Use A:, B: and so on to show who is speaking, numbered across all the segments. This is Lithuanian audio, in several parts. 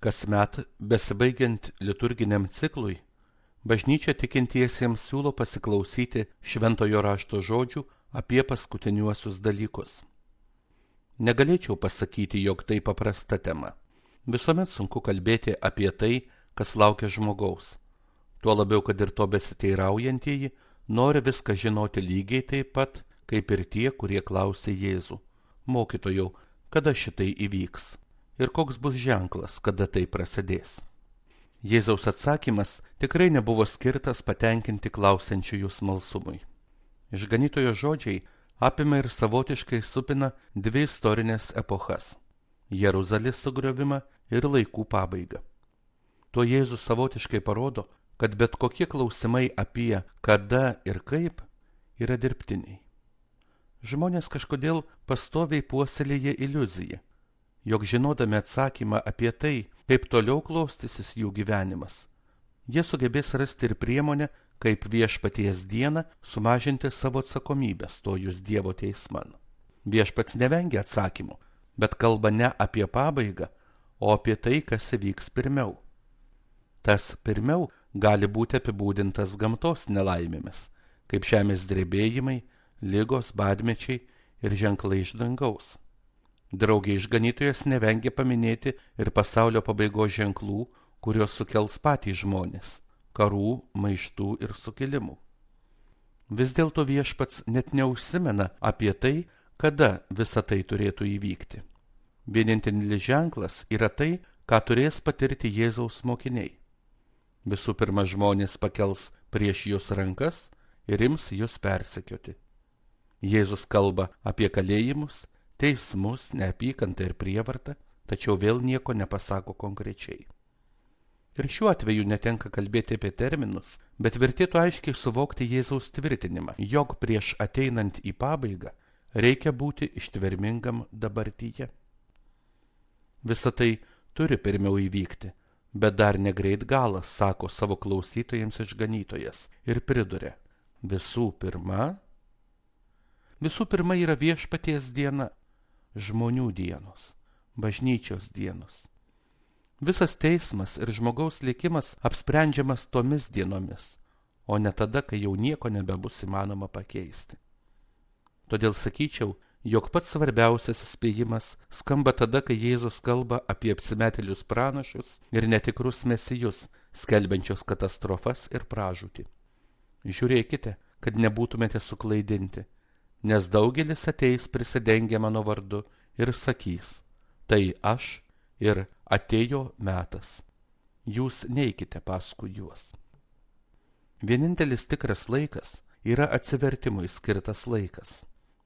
A: Kasmet, besibaigiant liturginiam ciklui, bažnyčia tikintiesiems siūlo pasiklausyti šventojo rašto žodžių apie paskutiniuosius dalykus. Negalėčiau pasakyti, jog tai paprasta tema. Visuomet sunku kalbėti apie tai, kas laukia žmogaus. Tuo labiau, kad ir to besiteiraujantieji nori viską žinoti lygiai taip pat, kaip ir tie, kurie klausė Jėzų: Mokytojau, kada šitai įvyks? Ir koks bus ženklas, kada tai prasidės? Jėzaus atsakymas tikrai nebuvo skirtas patenkinti klausiančiųjų smalsumui. Išganytojo žodžiai apima ir savotiškai supina dvi istorinės epochas – Jeruzalės sugriovimą ir laikų pabaigą. Tuo Jėzus savotiškai parodo, kad bet kokie klausimai apie kada ir kaip yra dirbtiniai. Žmonės kažkodėl pastoviai puoselėja iliuziją, jog žinodami atsakymą apie tai, kaip toliau klostysis jų gyvenimas, jie sugebės rasti ir priemonę, kaip viešpaties dieną sumažinti savo atsakomybę stojus Dievo teisman. Viešpats nevengia atsakymų, bet kalba ne apie pabaigą, o apie tai, kas įvyks pirmiau. Tas pirmiau gali būti apibūdintas gamtos nelaimėmis, kaip žemės drebėjimai, ligos, badmečiai ir ženklai iš dangaus. Draugė išganytojas nevengia paminėti ir pasaulio pabaigos ženklų, kurios sukels patys žmonės – karų, maištų ir sukilimų. Vis dėlto viešpats net neužsimena apie tai, kada visa tai turėtų įvykti. Vienintelis ženklas yra tai, ką turės patirti Jėzaus mokiniai. Visų pirma, žmonės pakels prieš jūs rankas ir ims jūs persekioti. Jėzus kalba apie kalėjimus, teismus, neapykantą ir prievartą, tačiau vėl nieko nepasako konkrečiai. Ir šiuo atveju netenka kalbėti apie terminus, bet vertėtų aiškiai suvokti Jėzaus tvirtinimą, jog prieš ateinant į pabaigą reikia būti ištvermingam dabartyje. Visa tai turi pirmiau įvykti, bet dar negreit galas, sako savo klausytojams išganytojas ir priduria: visų pirma yra viešpaties diena, žmonių dienos, bažnyčios dienos. Visas teismas ir žmogaus likimas apsprendžiamas tomis dienomis, o ne tada, kai jau nieko nebebus įmanoma pakeisti. Todėl sakyčiau, jog pats svarbiausias įspėjimas skamba tada, kai Jėzus kalba apie apsimetėlius pranašus ir netikrus mesijus, skelbiančius katastrofas ir pražūtį. Žiūrėkite, kad nebūtumėte suklaidinti, nes daugelis ateis prisidengę mano vardu ir sakys: tai aš, ir atėjo metas. Jūs neikite paskui juos. Vienintelis tikras laikas yra atsivertimui skirtas laikas,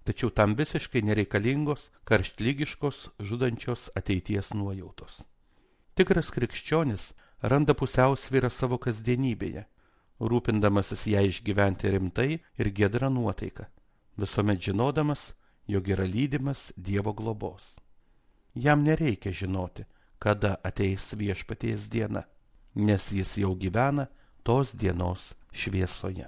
A: tačiau tam visiškai nereikalingos, karštlygiškos, žudančios ateities nuojautos. Tikras krikščionis randa pusiausvyrą savo kasdienybėje, rūpindamasis ją išgyventi rimtai ir giedra nuotaika, visuomet žinodamas, jog yra lydimas Dievo globos. Jam nereikia žinoti, kada ateis viešpaties diena, nes jis jau gyvena tos dienos šviesoje.